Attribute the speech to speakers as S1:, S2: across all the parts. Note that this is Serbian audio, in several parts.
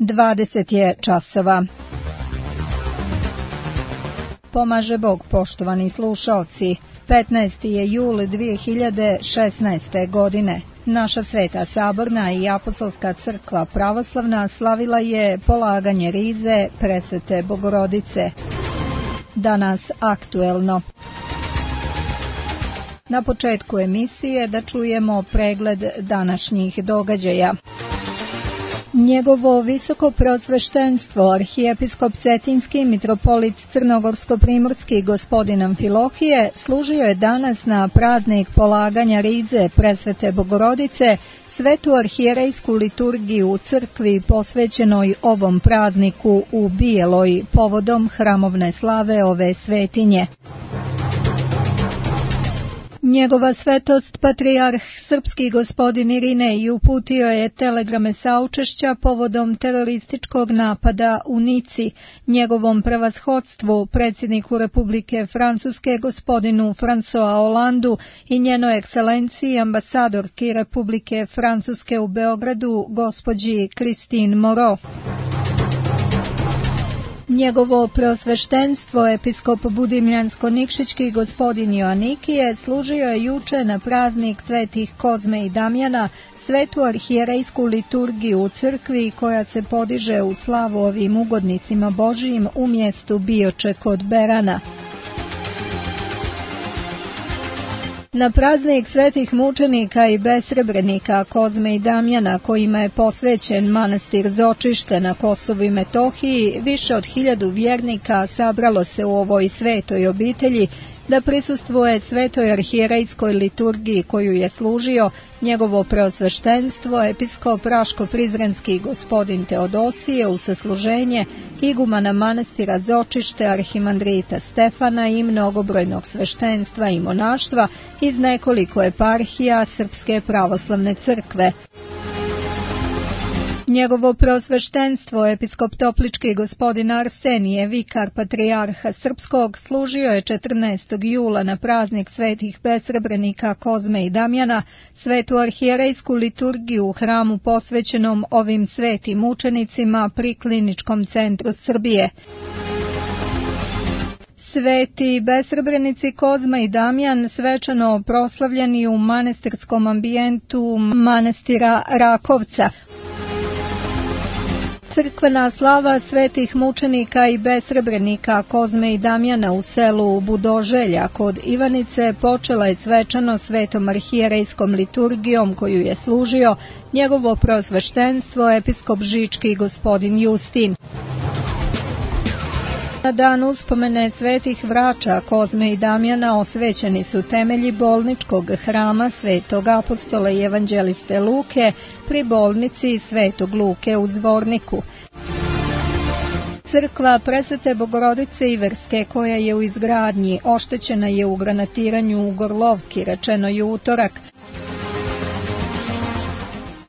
S1: 20 je časova. Pomaže Bog, poštovani slušaoci. 15. je jul 2016. godine. Naša Sveta Saborna i Apostolska crkva pravoslavna slavila je polaganje rize Presvete Bogorodice. Danas aktuelno. Na početku emisije da čujemo pregled današnjih događaja. Njegovo visoko preosveštenstvo, arhijepiskop Cetinski mitropolit Crnogorsko-primorski gospodin Amfilohije, služio je danas na praznik polaganja rize Presvete Bogorodice, svetu arhijerejsku liturgiju u crkvi posvećenoj ovom prazniku u Bijeloj, povodom hramovne slave ove svetinje. Njegova svetost, patrijarh srpski gospodin Irinej, uputio je telegrame saučešća povodom terorističkog napada u Nici, njegovom prevashodstvu, predsjedniku Republike Francuske gospodinu François Hollandu i njenoj ekscelenciji ambasadorki Republike Francuske u Beogradu, gospođi Christine Moreau. Njegovo preosveštenstvo, episkop Budimljansko-Nikšićki gospodin Joanikije, služio je juče na praznik svetih Kozme i Damjana, svetu arhijerejsku liturgiju u crkvi koja se podiže u slavu ovim ugodnicima Božijim u mjestu Bioče kod Berana. Na praznik svetih mučenika i besrebrenika Kozme i Damjana, kojima je posvećen manastir Zočište na Kosovu i Metohiji, više od 1000 vjernika sabralo se u ovoj svetoj obitelji da prisustvuje svetoj arhijerejskoj liturgiji koju je služio njegovo preosveštenstvo, episkop Raško-Prizrenski gospodin Teodosije u sasluženje igumana manastira Zočište, arhimandrita Stefana i mnogobrojnog sveštenstva i monaštva iz nekoliko eparhija Srpske pravoslavne crkve. Njegovo preosveštenstvo, episkop Toplički gospodin Arsenije, vikar patrijarha srpskog, služio je 14. jula na praznik svetih besrebrenika Kozme i Damjana, svetu arhijerejsku liturgiju u hramu posvećenom ovim svetim mučenicima pri Kliničkom centru Srbije. Sveti besrebrenici Kozma i Damjan svečano proslavljeni u manastirskom ambijentu manastira Rakovca. Crkvena slava svetih mučenika i besrebrenika Kozme i Damjana u selu Budoželja kod Ivanice počela je svečano svetom arhijerejskom liturgijom koju je služio njegovo preosveštenstvo episkop Žički gospodin Justin. Na dan uspomene svetih vrača Kozme i Damjana osvećeni su temelji bolničkog hrama svetog apostola i evanđeliste Luke pri bolnici svetog Luke u Zvorniku. Crkva Presvete Bogorodice Iverske, koja je u izgradnji, oštećena je u granatiranju u Gorlovki, rečeno je utorak.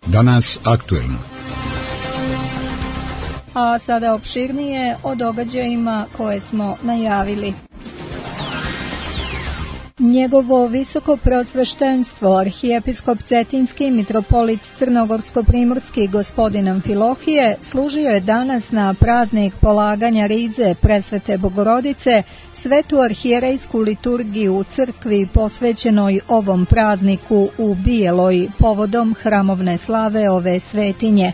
S2: Danas aktuelno.
S1: A sada opširnije o događajima koje smo najavili. Njegovo visoko preosveštenstvo, arhijepiskop Cetinski mitropolit Crnogorsko-primorski gospodin Amfilohije, služio je danas na praznik polaganja rize Presvete Bogorodice, svetu arhijerejsku liturgiju u crkvi posvećenoj ovom prazniku u Bijeloj, povodom hramovne slave ove svetinje.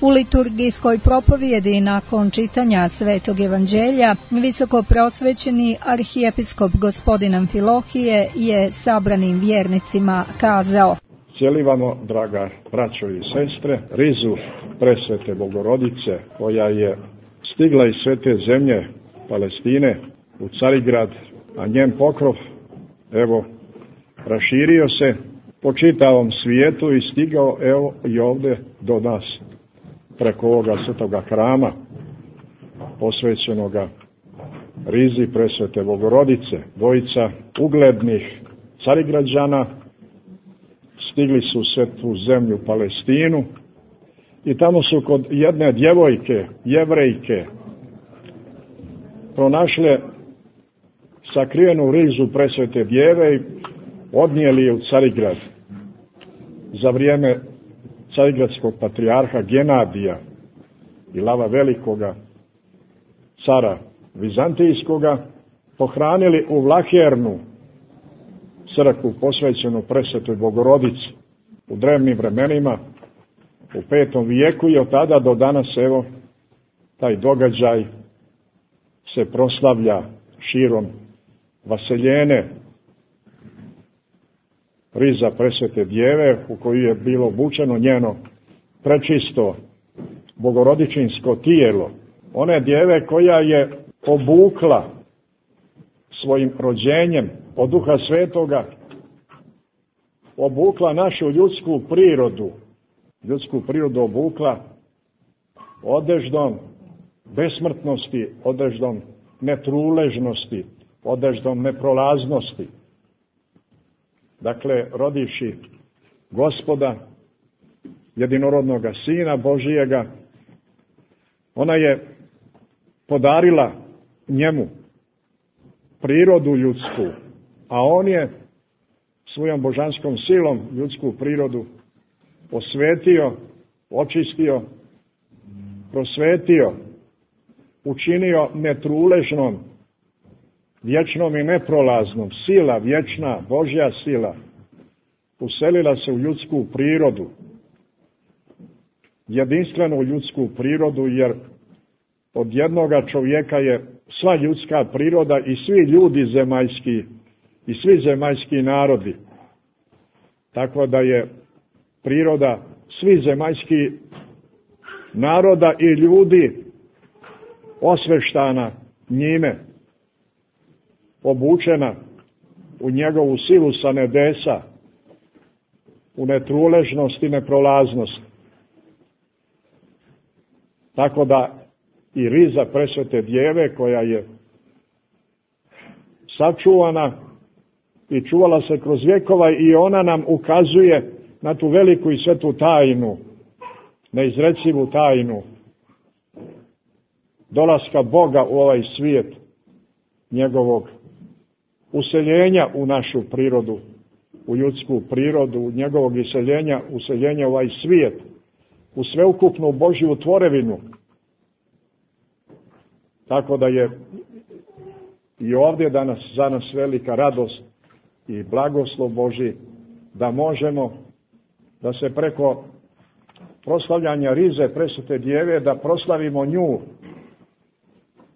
S1: U liturgijskoj propovjedi nakon čitanja Svetog evanđelja visoko preosvećeni arhijepiskop gospodin Amfilohije je sabranim vjernicima kazao:
S3: Cijelivamo, draga braćo i sestre, rizu Presvete Bogorodice koja je stigla iz svete zemlje Palestine u Carigrad, a njen pokrov, evo, raširio se po čitavom svijetu i stigao, evo, i ovdje do nas, preko ovoga svetoga hrama, posvećenoga rizi Presvete Bogorodice. Dvojica uglednih Carigrađana stigli su u svetu zemlju Palestinu i tamo su kod jedne djevojke, Jevrejke, pronašle sakrivenu rizu Presvete Djeve i odnijeli je u Carigrad za vrijeme carigradskog patrijarha Genadija i Lava Velikoga, cara Vizantijskoga, pohranili u Vlahernu, crkvu posvećenu Presvetoj Bogorodici u drevnim vremenima, u 5. vijeku, i od tada do danas, evo, taj događaj se proslavlja širom vaseljene, riza Presvete Djeve, u koju je bilo obučeno njeno prečisto bogorodičinsko tijelo. One djeve koja je obukla svojim rođenjem od Duha Svetoga, obukla našu ljudsku prirodu obukla odeždom besmrtnosti, odeždom netruležnosti, odeždom neprolaznosti. Dakle, rodivši Gospoda, jedinorodnoga Sina Božijega, ona je podarila njemu prirodu ljudsku, a on je svojom božanskom silom ljudsku prirodu osvetio, očistio, prosvetio, učinio netruležnom, vječnom i neprolaznom. Sila, vječna, Božja sila, uselila se u ljudsku prirodu, jedinstvenu ljudsku prirodu, jer od jednoga čovjeka je sva ljudska priroda i svi ljudi zemaljski i svi zemaljski narodi. Tako da je priroda svih zemaljskih naroda i ljudi osveštana njime, obučena u njegovu silu sa nebesa, u netruležnost i neprolaznost. Tako da i riza Presvete Djeve, koja je sačuvana i čuvala se kroz vjekova, i ona nam ukazuje na tu veliku i svetu tajnu, neizrecivu tajnu dolaska Boga u ovaj svijet, njegovog useljenja u našu prirodu, u ljudsku prirodu, njegovog useljenja u ovaj svijet, u sveukupnu Božju tvorevinu. Tako da je i ovdje danas za nas velika radost i blagoslov Božji da možemo da se preko proslavljanja rize Presvete Djeve da proslavimo nju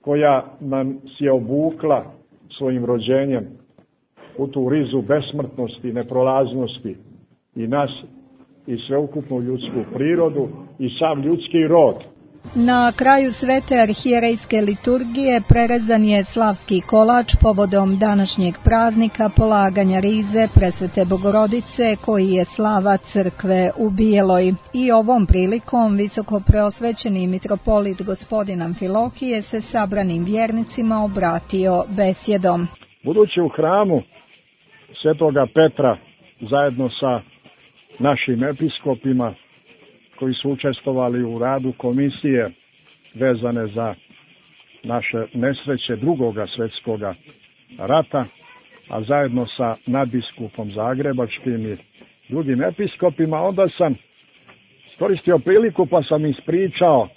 S3: koja nam je obukla svojim rođenjem u tu rizu besmrtnosti, neprolaznosti, i nas i sveukupnu ljudsku prirodu i sam ljudski rod.
S1: Na kraju svete arhijerejske liturgije prerezan je slavski kolač povodom današnjeg praznika polaganja rize Presvete Bogorodice, koji je slava crkve u Bijeloj. I ovom prilikom visokopreosvećeni mitropolit gospodin Amfilohije se sabranim vjernicima obratio besjedom.
S3: Budući u hramu Svetoga Petra zajedno sa našim episkopima koji su učestvovali u radu komisije vezane za naše nesreće drugoga svjetskoga rata, a zajedno sa nadbiskupom Zagrebačkim i drugim episkopima, onda sam iskoristio priliku pa sam ispričao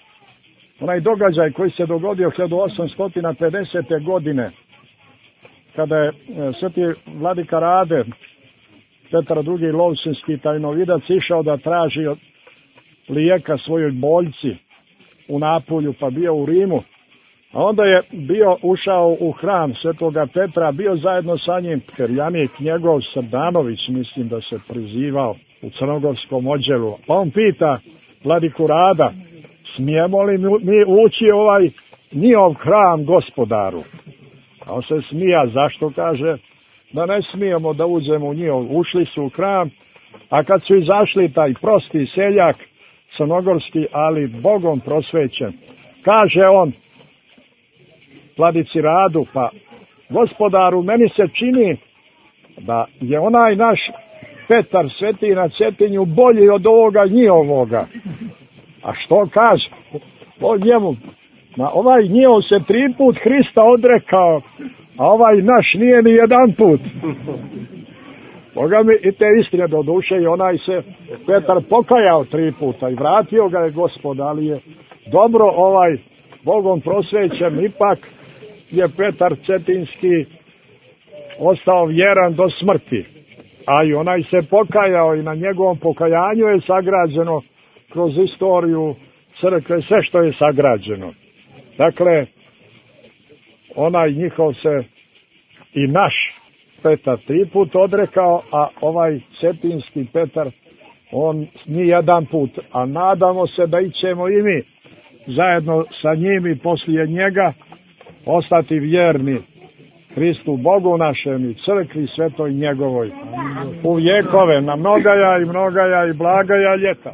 S3: onaj događaj koji se dogodio 1850. godine, kada je sveti vladika Rade, Petar II. Lovćenski tajnovidac, išao da traži lijeka svojoj boljci u Napulju, pa bio u Rimu, a onda je ušao u hram Svetoga Petra, bio zajedno sa njim perjanik njegov Srdanović, mislim da se prizivao, u crnogorskom odjelu. Pa on pita vladiku Rada, smijemo li mi ući ovaj njihov hram, gospodaru? A on se smija, zašto? Kaže da ne smijemo da uđemo u njihov. Ušli su u hram, a kad su izašli, taj prosti seljak crnogorski, ali Bogom prosvećen, kaže on vladici Radu, pa gospodaru, meni se čini da je onaj naš Petar Sveti na Cetinju bolji od ovoga njihovoga. A što kaže? O njemu, ovaj njihov se 3 put Hrista odrekao, a ovaj naš nije ni jedan put. Boga mi i te istine do duše, i onaj se Petar pokajao 3 puta i vratio ga je Gospod, ali je dobro Bogom prosvećen, ipak je Petar Cetinski ostao vjeran do smrti. A i onaj se pokajao i na njegovom pokajanju je sagrađeno kroz istoriju crkve sve što je sagrađeno. Dakle, onaj njihov se i naš Petar 3 put odrekao, a ovaj Cetinski Petar on ni jedan put, a nadamo se da ićemo i mi zajedno sa njim i poslije njega ostati vjerni Hristu Bogu našem i crkvi svetoj njegovoj u vjekove, na mnogaja i blagaja ljeta.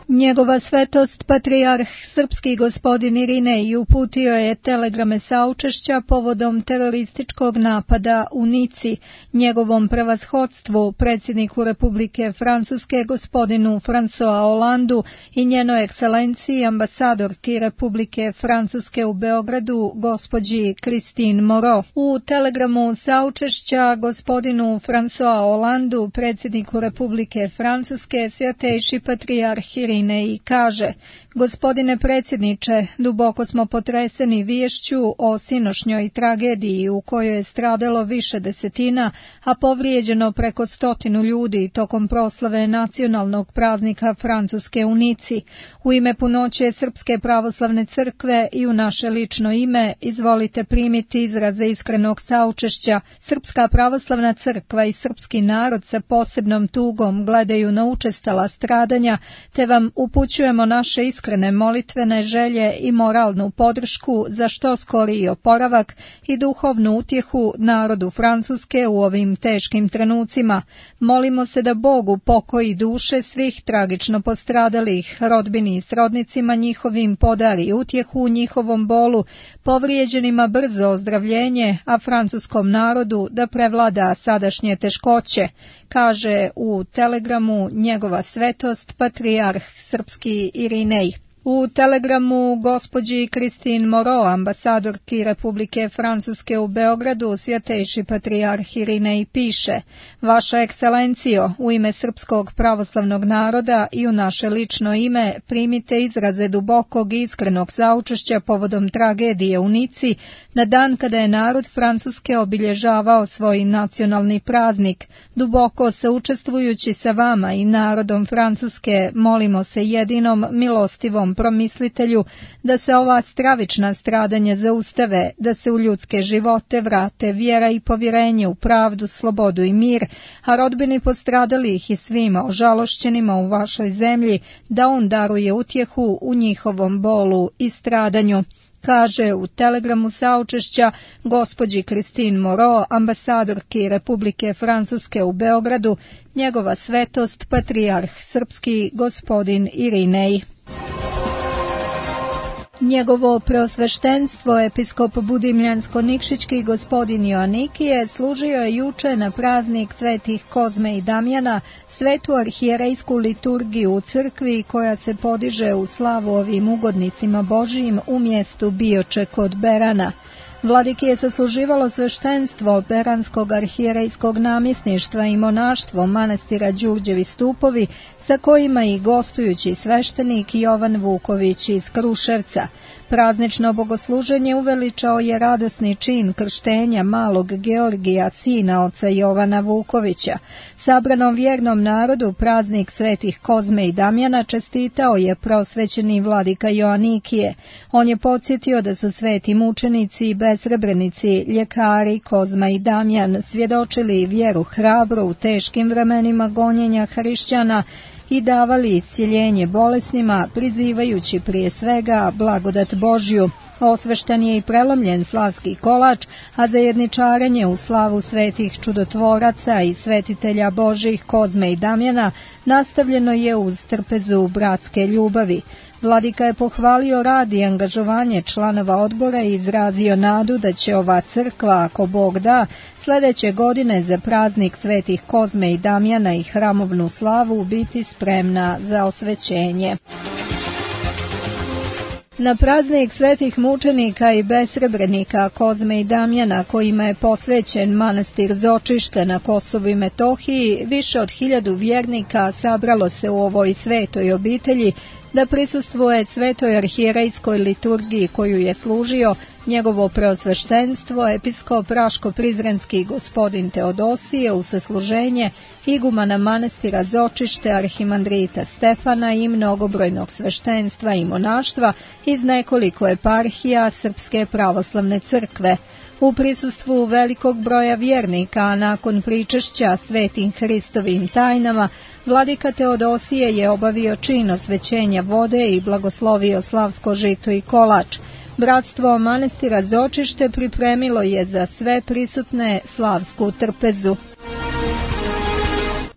S1: Njegova svetost patrijarh srpski gospodin Irinej uputio je telegrame saučešća povodom terorističkog napada u Nici, njegovom prevashodstvu, predsjedniku Republike Francuske gospodinu François Hollandu i njenoj ekscelenciji ambasadorki Republike Francuske u Beogradu gospođi Christine Moreau. U telegramu saučešća gospodinu François Hollandu, predsjedniku Republike Francuske, svjatejši patrijarh Irinej i kaže: Gospodine predsjedniče, duboko smo potreseni viješću o sinošnjoj tragediji u kojoj je stradalo više desetina, a povrijeđeno preko 100 ljudi tokom proslave nacionalnog praznika Francuske u Nici. U ime punoće Srpske pravoslavne crkve i u naše lično ime izvolite primiti izraze iskrenog saučešća. Srpska pravoslavna crkva i srpski narod sa posebnom tugom gledaju na učestala stradanja, te vam upućujemo naše iskrene molitvene želje i moralnu podršku za što skoriji oporavak i duhovnu utjehu narodu Francuske u ovim teškim trenucima. Molimo se da Bog upokoji duše svih tragično postradalih, rodbini i srodnicima njihovim podari utjehu u njihovom bolu, povrijeđenima brzo ozdravljenje, a francuskom narodu da prevlada sadašnje teškoće, kaže u telegramu njegova svetost patrijarh srpski Irinej. U telegramu gospođi Christine Moreau, ambasadorki Republike Francuske u Beogradu, svjatejši patrijarh Irinej piše: Vaša ekscelencijo, u ime srpskog pravoslavnog naroda i u naše lično ime primite izraze dubokog i iskrenog saučešća povodom tragedije u Nici, na dan kada je narod Francuske obilježavao svoj nacionalni praznik. Duboko saučestvujući sa vama i narodom Francuske, molimo se jedinom milostivom promislitelju da se ova stravična stradanja zaustave, da se u ljudske živote vrate vjera i povjerenje u pravdu, slobodu i mir, a rodbini postradalih i svima ožalošćenima u vašoj zemlji da on daruje utjehu u njihovom bolu i stradanju, kaže u telegramu saučešća gospođi Christine Moreau, ambasadorki Republike Francuske u Beogradu, njegova svetost patrijarh srpski gospodin Irinej. Njegovo preosveštenstvo episkop Budimljansko-Nikšićki gospodin Joanikije služio je juče na praznik svetih Kozme i Damjana, svetu arhijerejsku liturgiju u crkvi koja se podiže u slavu ovim ugodnicima Božijim u mjestu Bioče kod Berana. Vladiki je sasluživalo sveštenstvo Beranskog arhijerejskog namjesništva i monaštvo manastira Đurđevi stupovi, sa kojima i gostujući sveštenik Jovan Vuković iz Kruševca. Praznično bogosluženje uveličao je radosni čin krštenja malog Georgija, sina oca Jovana Vukovića. Sabranom vjernom narodu praznik svetih Kozme i Damjana čestitao je prosvećeni vladika Joanikije. On je podsjetio da su sveti mučenici i besrebrenici, ljekari Kozma i Damjan svjedočili vjeru hrabro u teškim vremenima gonjenja hrišćana i davali iscjeljenje bolesnima, prizivajući prije svega blagodat Božju. Osvešten je i prelomljen slavski kolač, a zajedničarenje u slavu svetih čudotvoraca i svetitelja Božjih Kozme i Damjana nastavljeno je uz trpezu bratske ljubavi. Vladika je pohvalio rad i angažovanje članova odbora i izrazio nadu da će ova crkva, ako Bog da, sljedeće godine za praznik svetih Kozme i Damjana i hramovnu slavu biti spremna za osvećenje. Na praznik svetih mučenika i besrebrenika Kozme i Damjana, kojima je posvećen manastir Zočište na Kosovu i Metohiji, više od 1000 vjernika sabralo se u ovoj svetoj obitelji da prisustvuje svetoj arhijerejskoj liturgiji koju je služio njegovo preosveštenstvo, episkop Raško-Prizrenski gospodin Teodosije u sasluženje igumana manastira Zočište, arhimandrita Stefana i mnogobrojnog sveštenstva i monaštva iz nekoliko eparhija Srpske pravoslavne crkve. U prisustvu velikog broja vjernika, a nakon pričešća svetim Hristovim tajnama, vladika Teodosije je obavio čin osvećenja vode i blagoslovio slavsko žito i kolač. Bratstvo manastira Zočište pripremilo je za sve prisutne slavsku trpezu.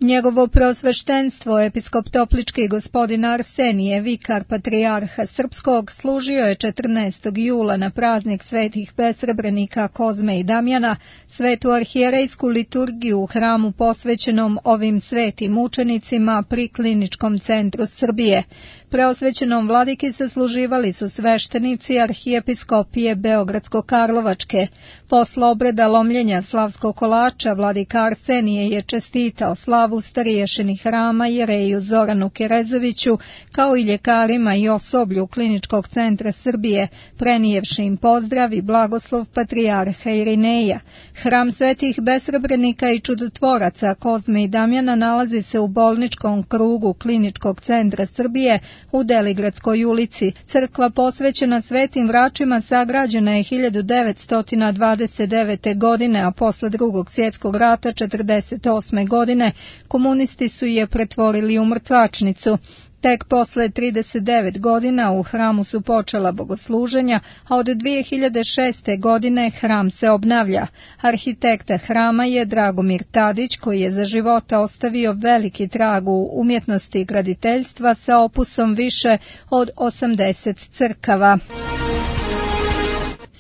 S1: Njegovo preosveštenstvo, episkop Toplički gospodin Arsenije, vikar patrijarha Srpskog, služio je 14. jula na praznik svetih besrebrenika Kozme i Damjana svetu arhijerejsku liturgiju u hramu posvećenom ovim svetim mučenicima pri Kliničkom centru Srbije. Preosvećenom vladiki sasluživali su sveštenici arhijepiskopije Beogradsko-Karlovačke. Posle obreda lomljenja slavskog kolača vladika Arsenije je čestitao slavu stariješini hrama jereju Zoranu Kerezoviću, kao i ljekarima i osoblju Kliničkog centra Srbije, prenijevši im pozdrav i blagoslov patrijarha Irineja. Hram svetih besrebrenika i čudotvoraca Kozme i Damjana nalazi se u bolničkom krugu Kliničkog centra Srbije u Deligradskoj ulici. Crkva posvećena svetim vračima sagrađena je 1929. godine, a posle Drugog svjetskog rata 1948. godine komunisti su je pretvorili u mrtvačnicu. Tek posle 39 godina u hramu su počela bogosluženja, a od 2006. godine hram se obnavlja. Arhitekta hrama je Dragomir Tadić, koji je za života ostavio veliki trag u umjetnosti graditeljstva sa opusom više od 80 crkava.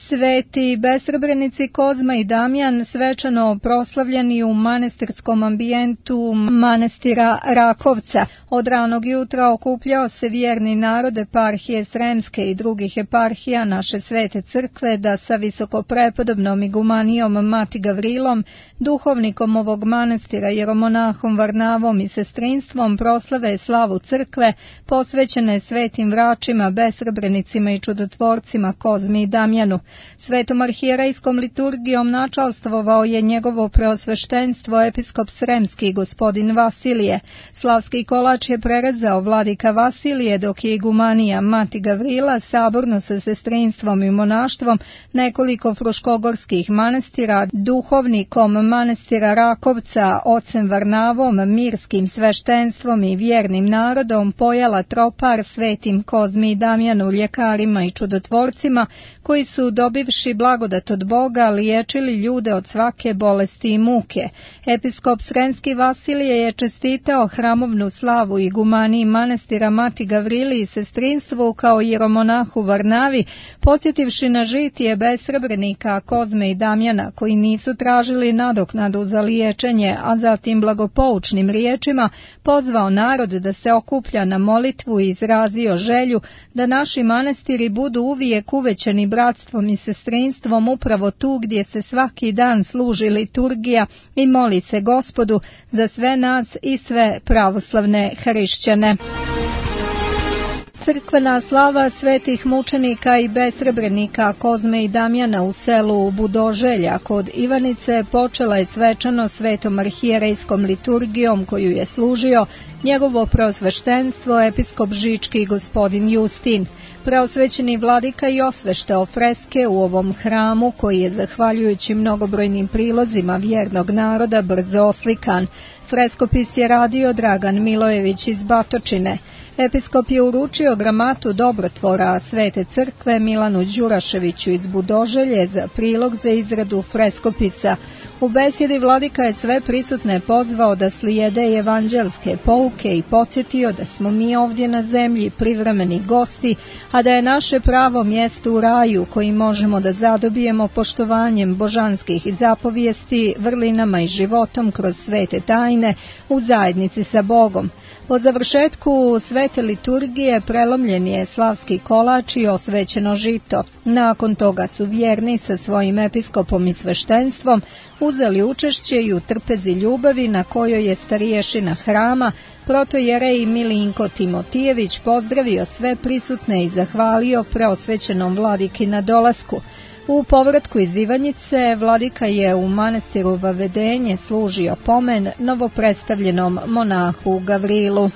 S1: Sveti besrebrenici Kozma i Damjan svečano proslavljeni u manastirskom ambijentu manastira Rakovca. Od ranog jutra okupljao se vjerni narod eparhije Sremske i drugih eparhija naše svete crkve da sa visokoprepodobnom igumanijom Mati Gavrilom, duhovnikom ovog manastira, jeromonahom Varnavom i sestrinstvom proslave slavu crkve posvećene svetim vračima, besrebrenicima i čudotvorcima Kozmi i Damjanu. Svetom arhijerejskom liturgijom načalstvovao je njegovo preosveštenstvo episkop Sremski gospodin Vasilije. Slavski kolač je prerezao vladika Vasilije, dok je igumanija Mati Gavrila saborno sa sestrinstvom i monaštvom nekoliko fruškogorskih manastira, duhovnikom manastira Rakovca, ocem Varnavom, mirskim sveštenstvom i vjernim narodom pojala tropar svetim Kozmi i Damjanu, ljekarima i čudotvorcima, koji su dobivši blagodat od Boga liječili ljude od svake bolesti i muke. Episkop Sremski Vasilije je čestitao hramovnu slavu igumaniji manastira Mati Gavrili i sestrinstvu kao jeromonahu Varnavi, podsjetivši na žitije besrebrenika Kozme i Damjana, koji nisu tražili nadoknadu za liječenje, a zatim blagopoučnim riječima pozvao narod da se okuplja na molitvu i izrazio želju da naši manastiri budu uvijek uvećani bratstvom i sestrinstvom upravo tu gdje se svaki dan služi liturgija i moli se Gospodu za sve nas i sve pravoslavne hrišćane. Crkvena slava svetih mučenika i besrebrenika Kozme i Damjana u selu Budoželja kod Ivanice počela je svečano svetom arhijerejskom liturgijom koju je služio njegovo preosveštenstvo episkop Žički gospodin Justin. Preosvećeni vladika i osveštao freske u ovom hramu koji je zahvaljujući mnogobrojnim prilozima vjernog naroda brzo oslikan. Freskopis je radio Dragan Milojević iz Batočine. Episkop je uručio gramatu dobrotvora Svete crkve Milanu Đuraševiću iz Budoželje za prilog za izradu freskopisa. U besjedi vladika je sve prisutne pozvao da slijede evanđelske pouke i podsjetio da smo mi ovdje na zemlji privremeni gosti, a da je naše pravo mjesto u raju koji možemo da zadobijemo poštovanjem božanskih zapovijesti, vrlinama i životom kroz svete tajne u zajednici sa Bogom. Po završetku svete liturgije prelomljen je slavski kolač i osvećeno žito. Nakon toga su vjerni sa svojim episkopom i sveštenstvom uzeli učešće i u trpezi ljubavi na kojoj je starješina hrama, protojerej Milinko Timotijević, pozdravio sve prisutne i zahvalio preosvećenom vladiki na dolasku. U povratku iz Ivanjice vladika je u manastiru Vavedenje služio pomen novopredstavljenom monahu Gavrilu.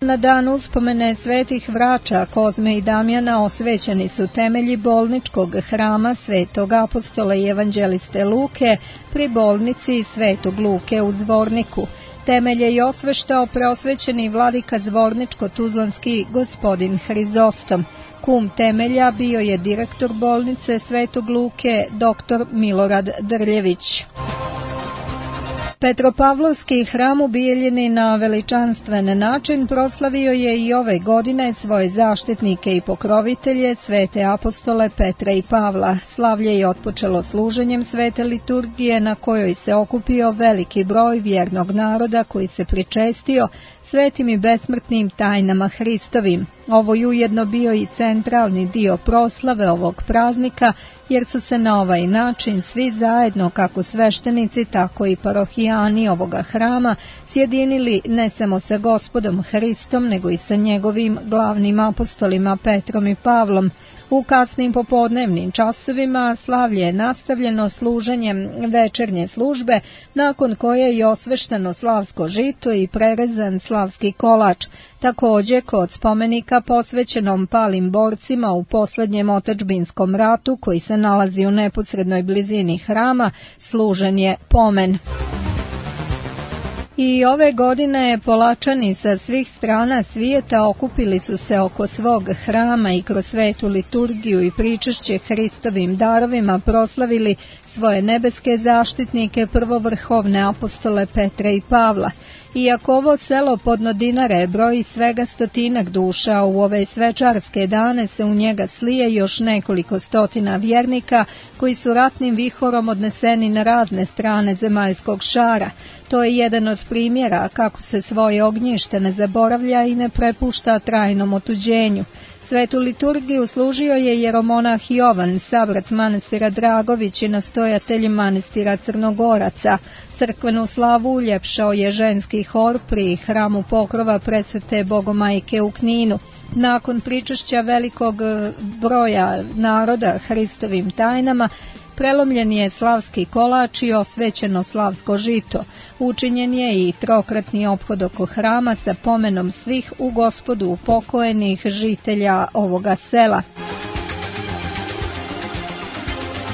S1: Na dan uspomene svetih vrača Kozme i Damjana osvećeni su temelji bolničkog hrama Svetog apostola i evanđeliste Luke pri bolnici Svetog Luke u Zvorniku. Temelje je osveštao preosvećeni vladika zvorničko-tuzlanski gospodin Hrizostom. Kum temelja bio je direktor bolnice Svetog Luke dr. Milorad Drljević. Petropavlovski hram u Bijeljini na veličanstven način proslavio je i ove godine svoje zaštitnike i pokrovitelje, svete apostole Petra i Pavla. Slavlje je otpočelo služenjem svete liturgije na kojoj se okupio veliki broj vjernog naroda koji se pričestio svetim i besmrtnim tajnama Hristovim. Ovo je ujedno bio i centralni dio proslave ovog praznika, jer su se na ovaj način svi zajedno, kako sveštenici, tako i parohijani ovoga hrama, sjedinili ne samo sa Gospodom Hristom, nego i sa njegovim glavnim apostolima Petrom i Pavlom. U kasnim popodnevnim časovima slavlje je nastavljeno služenjem večernje službe, nakon koje je osvešteno slavsko žito i prerezan slavski kolač. Također, kod spomenika posvećenom palim borcima u posljednjem otadžbinskom ratu, koji se nalazi u neposrednoj blizini hrama, služen je pomen. I ove godine Polačani sa svih strana svijeta okupili su se oko svog hrama i kroz svetu liturgiju i pričešće Hristovim darovima proslavili svoje nebeske zaštitnike, prvovrhovne apostole Petra i Pavla. Iako ovo selo Podno Dinare broji svega 100 duša, u ove svečarske dane se u njega slije još nekoliko stotina vjernika koji su ratnim vihorom odneseni na razne strane zemaljskog šara. To je jedan od primjera kako se svoje ognjište ne zaboravlja i ne prepušta trajnom otuđenju. Svetu liturgiju služio je jeromonah Jovan, savrat manastira Dragović i nastojatelj manastira Crnogoraca. Crkvenu slavu uljepšao je ženski hor pri hramu Pokrova Presvete Bogomajke u Kninu. Nakon pričešća velikog broja naroda Hristovim tajnama, prelomljen je slavski kolač i osvećeno slavsko žito. Učinjen je i trokratni ophod oko hrama sa pomenom svih u Gospodu upokojenih žitelja ovoga sela.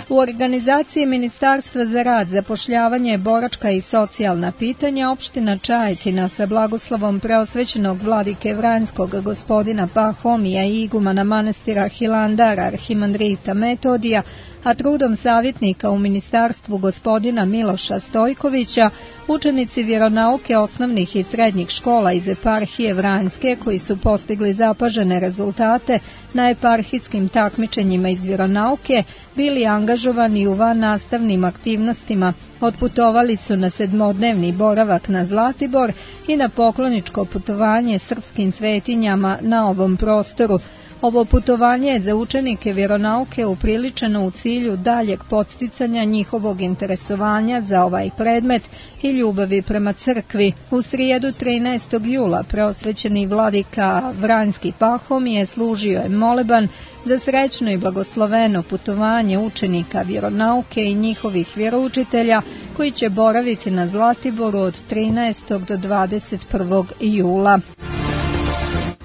S1: U organizaciji Ministarstva za rad, zapošljavanje, boračka i socijalna pitanja opština Čajetina sa blagoslovom preosvećenog vladike Vranjskog gospodina Pahomija i igumana manastira Hilandara arhimandrita Metodija, a trudom savjetnika u ministarstvu gospodina Miloša Stojkovića, učenici vjeronauke osnovnih i srednjih škola iz eparhije Vranjske, koji su postigli zapažene rezultate na eparhijskim takmičenjima iz vjeronauke, bili angažovani u vannastavnim aktivnostima, otputovali su na 7-dnevni boravak na Zlatibor i na pokloničko putovanje srpskim svetinjama na ovom prostoru. Ovo putovanje je za učenike vjeronauke upriličeno u cilju daljeg podsticanja njihovog interesovanja za ovaj predmet i ljubavi prema crkvi. U srijedu 13. jula preosvećeni vladika Vranjski Pahomije služio je moleban za srećno i blagosloveno putovanje učenika vjeronauke i njihovih vjeroučitelja koji će boraviti na Zlatiboru od 13. do 21. jula.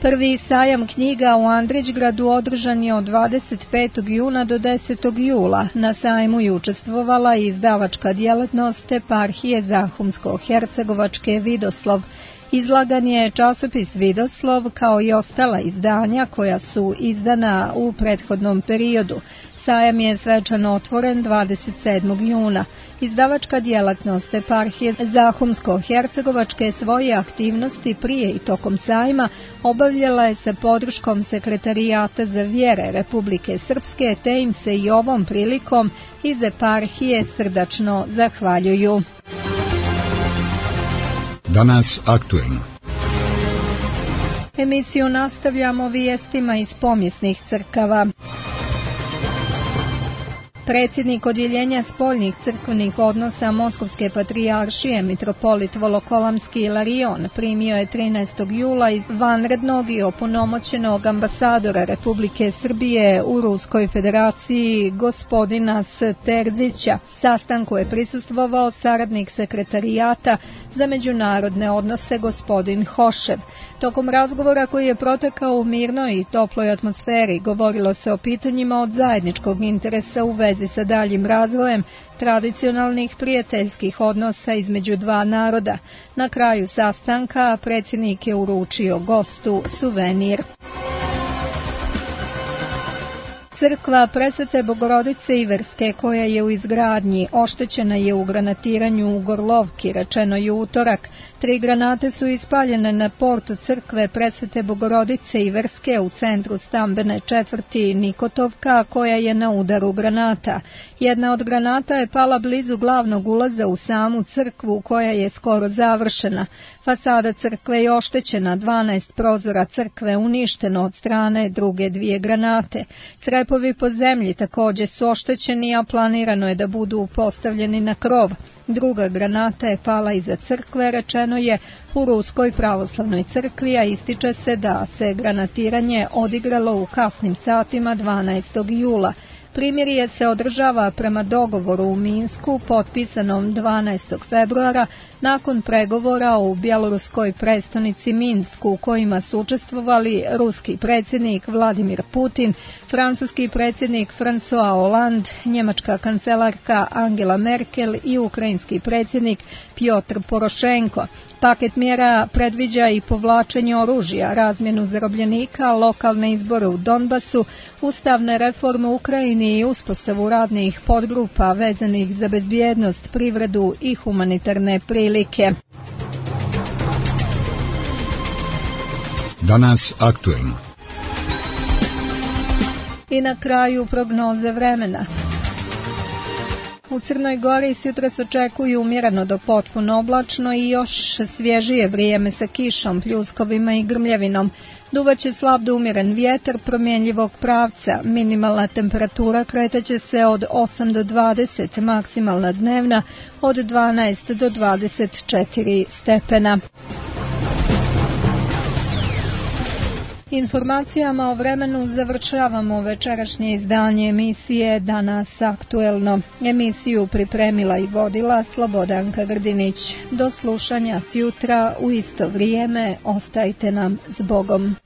S1: Prvi sajam knjiga u Andrićgradu održan je od 25. juna do 10. jula. Na sajmu je učestvovala i izdavačka djelatnost eparhije Zahumsko-Hercegovačke Vidoslov. Izlagan je časopis Vidoslov kao i ostala izdanja koja su izdana u prethodnom periodu. Sajam je svečano otvoren 27. juna. Izdavačka djelatnost eparhije Zahumsko-Hercegovačke svoje aktivnosti prije i tokom sajma obavljala je sa podrškom Sekretarijata za vjere Republike Srpske, te im se i ovom prilikom iz eparhije srdačno zahvaljuju.
S2: Danas aktuelno.
S1: Emisiju nastavljamo vijestima iz pomjesnih crkava. Predsjednik Odjeljenja spoljnih crkvenih odnosa Moskovske patrijaršije mitropolit Volokolamski Ilarion primio je 13. jula vanrednog i opunomoćenog ambasadora Republike Srbije u Ruskoj federaciji gospodina Terzića. Sastanku je prisustvovao saradnik sekretarijata za međunarodne odnose gospodin Hošev. Tokom razgovora koji je protekao u mirnoj i toploj atmosferi govorilo se o pitanjima od zajedničkog interesa u vezi sa daljim razvojem tradicionalnih prijateljskih odnosa između dva naroda. Na kraju sastanka predsjednik je uručio gostu suvenir. Crkva Presvete Bogorodice Iverske, koja je u izgradnji, oštećena je u granatiranju u Gorlovki, rečeno je utorak. 3 granate su ispaljene na portu crkve Presvete Bogorodice Iverske u centru stambene četvrti Nikotovka, koja je na udaru granata. Jedna od granata je pala blizu glavnog ulaza u samu crkvu, koja je skoro završena. Fasada crkve je oštećena, 12 prozora crkve uništeno od strane druge 2 granate. Crepovi po zemlji također su oštećeni, a planirano je da budu postavljeni na krov. Druga granata je pala iza crkve, rečeno je u Ruskoj pravoslavnoj crkvi, a ističe se da se granatiranje odigralo u kasnim satima 12. jula. Primirje se održava prema dogovoru u Minsku potpisanom 12. februara nakon pregovora u bjeloruskoj prestonici Minsku u kojima su učestvovali ruski predsjednik Vladimir Putin, francuski predsjednik François Hollande, njemačka kancelarka Angela Merkel i ukrajinski predsjednik Piotr Porošenko. Paket mjera predviđa i povlačenje oružja, razmjenu zarobljenika, lokalne izbore u Donbasu, ustavne reforme u Ukrajini i uspostavu radnih podgrupa vezanih za bezbjednost, privredu i humanitarne prilike.
S2: Danas aktuelno.
S1: I na kraju prognoze vremena. U Crnoj Gori jutros očekuju umjereno do potpuno oblačno i još svježije vrijeme sa kišom, pljuskovima i grmljavinom. Duvaće slab do umjeren vjetar promjenjivog pravca. Minimalna temperatura kretaće se od 8 do 20, maksimalna dnevna od 12 do 24 stepena. Informacijama o vremenu završavamo večerašnje izdanje emisije Danas aktuelno. Emisiju pripremila i vodila Slobodanka Grdinić. Do slušanja sjutra u isto vrijeme, ostajte nam s Bogom.